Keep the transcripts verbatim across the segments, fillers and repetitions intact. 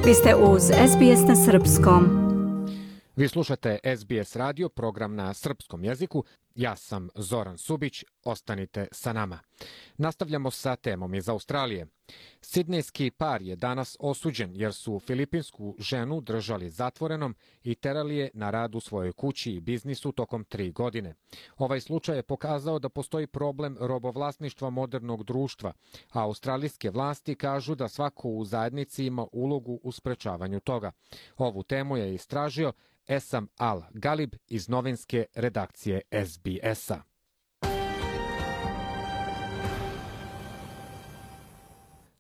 Vi ste uz S B S na srpskom. Vi slušate S B S radio, program na srpskom jeziku. Ja sam Zoran Subić, ostanite sa nama. Nastavljamo sa temom iz Australije. Sidnejski par je danas osuđen jer su filipinsku ženu držali zatvorenom i terali je na rad u svojoj kući i biznisu tokom tri godine. Ovaj slučaj je pokazao da postoji problem robovlasništva modernog društva, a australijske vlasti kažu da svako u zajednici ima ulogu u sprečavanju toga. Ovu temu je istražio Esam Al-Galib iz novinske redakcije S B S-a.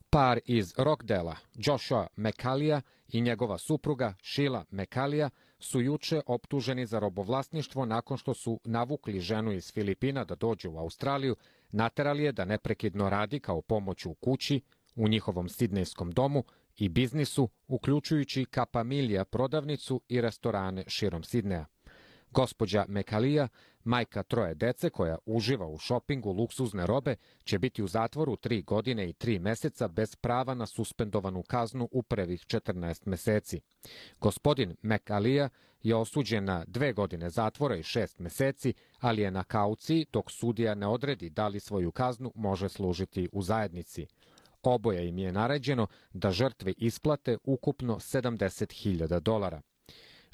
Par iz Rockdela, Joshua McCallija i njegova supruga Sheila McCallija su juče optuženi za robovlasništvo nakon što su navukli ženu iz Filipina da dođe u Australiju, naterali je da neprekidno radi kao pomoć u kući, u njihovom sidnejskom domu i biznisu, uključujući Kapamilija prodavnicu i restorane širom Sidneja. Gospođa McCallija, majka troje dece koja uživa u šopingu luksuzne robe, će biti u zatvoru tri godine i tri meseca bez prava na suspendovanu kaznu u prvih četrnaest meseci. Gospodin McCallija je osuđen na dve godine zatvora i šest meseci, ali je na kauciji dok sudija ne odredi da li svoju kaznu može služiti u zajednici. Oboje im je naređeno da žrtve isplate ukupno sedamdeset hiljada dolara.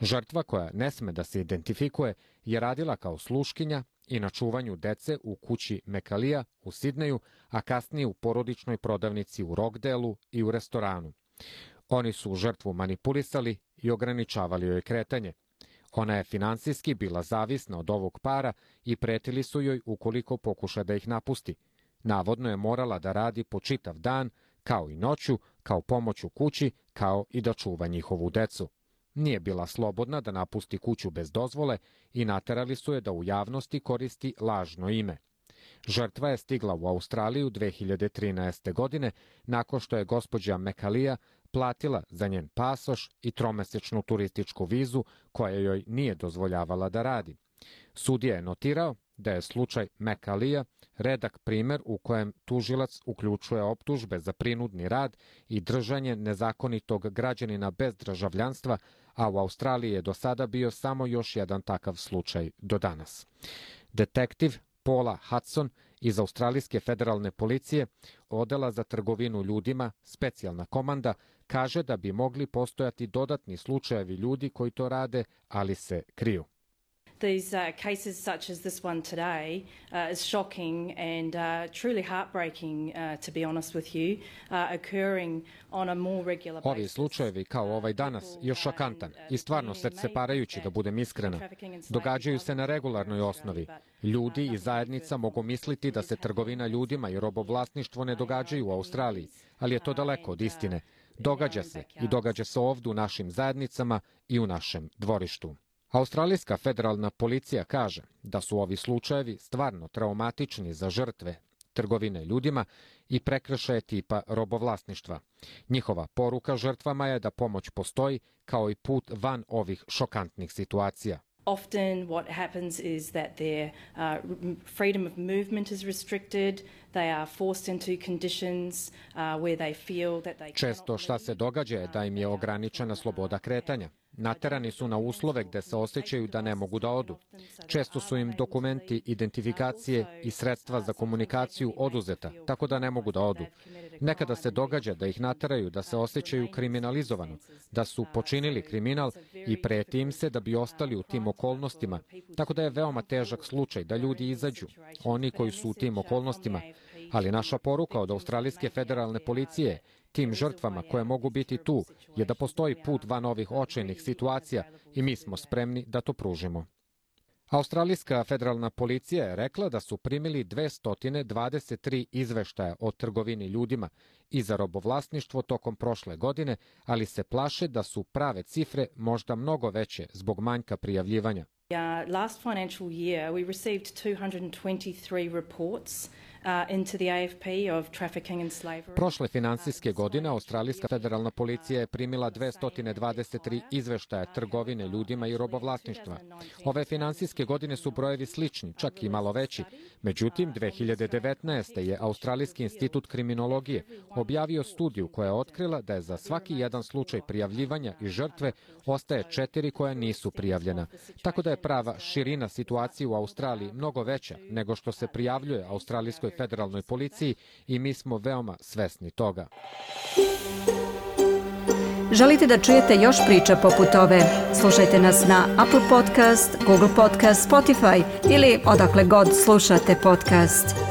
Žrtva, koja ne sme da se identifikuje, je radila kao sluškinja i na čuvanju dece u kući McCallija u Sidneju, a kasnije u porodičnoj prodavnici u Rockdelu i u restoranu. Oni su žrtvu manipulisali i ograničavali joj kretanje. Ona je finansijski bila zavisna od ovog para i pretili su joj ukoliko pokuša da ih napusti. Navodno je morala da radi po čitav dan, kao i noću, kao pomoć u kući, kao i da čuva njihovu decu. Nije bila slobodna da napusti kuću bez dozvole i naterali su je da u javnosti koristi lažno ime. Žrtva je stigla u Australiju dve hiljade trinaeste. godine nakon što je gospođa McCallija platila za njen pasoš i tromesečnu turističku vizu koja joj nije dozvoljavala da radi. Sudija je notirao da je slučaj McCallija redak primer u kojem tužilac uključuje optužbe za prinudni rad i držanje nezakonitog građanina bez državljanstva, a u Australiji je do sada bio samo još jedan takav slučaj do danas. Detektiv Paula Hudson iz Australijske federalne policije, odela za trgovinu ljudima, specijalna komanda, kaže da bi mogli postojati dodatni slučajevi ljudi koji to rade, ali se kriju. These uh, cases such as this one today uh, is shocking and uh, truly heartbreaking, uh, to be honest with you, uh, occurring on a more regular basis. Ovi slučajevi kao ovaj danas je šokantan i stvarno srceparajući, da budem iskrena. Događaju se na regularnoj osnovi. Ljudi i zajednica mogu misliti da se trgovina ljudima i robovlasništvo ne događaju u Australiji, ali je to daleko od istine. Događa se i događa se ovdje u našim zajednicama i u našem dvorištu. Australijska federalna policija kaže da su ovi slučajevi stvarno traumatični za žrtve trgovine ljudima i prekršaje tipa robovlasništva. Njihova poruka žrtvama je da pomoć postoji kao i put van ovih šokantnih situacija. Often what happens is that their uh, freedom of movement is restricted. They are forced into conditions uh, where they feel that they Često šta se događa je da im je ograničena sloboda kretanja. Naterani su na uslove gde se osjećaju da ne mogu da odu. Često su im dokumenti identifikacije i sredstva za komunikaciju oduzeta, tako da ne mogu da odu. Nekada se događa da ih nateraju da se osjećaju kriminalizovano, da su počinili kriminal i preti im se da bi ostali u tim okolnostima, tako da je veoma težak slučaj da ljudi izađu, oni koji su u tim okolnostima. Ali naša poruka od Australijske federalne policije tim žrtvama koje mogu biti tu je da postoji put van ovih očajnih situacija i mi smo spremni da to pružimo. Australijska federalna policija je rekla da su primili dvesta dvadeset tri izveštaja o trgovini ljudima i za robovlasništvo tokom prošle godine, ali se plaše da su prave cifre možda mnogo veće zbog manjka prijavljivanja. Uh, last financial year, we received two hundred twenty-three reports uh, into the A F P of trafficking and slavery. Prošle finansijske godine Australijska federalna policija je primila dvesta dvadeset tri izveštaja trgovine ljudima i robovlasništva. Ove finansijske godine su brojevi slični, čak i malo veći. Međutim, dve hiljade devetnaeste. je Australijski institut kriminologije objavio studiju koja je otkrila da je za svaki jedan slučaj prijavljivanja i žrtve ostaje četiri koja nisu prijavljena. Tako da je prava širina situacije u Australiji mnogo veća nego što se prijavljuje Australijskoj federalnoj policiji i mi smo veoma svesni toga. Želite da čujete još priča poput ove? Slušajte nas na Apple Podcast, Google Podcast, Spotify ili odakle god slušate podcast.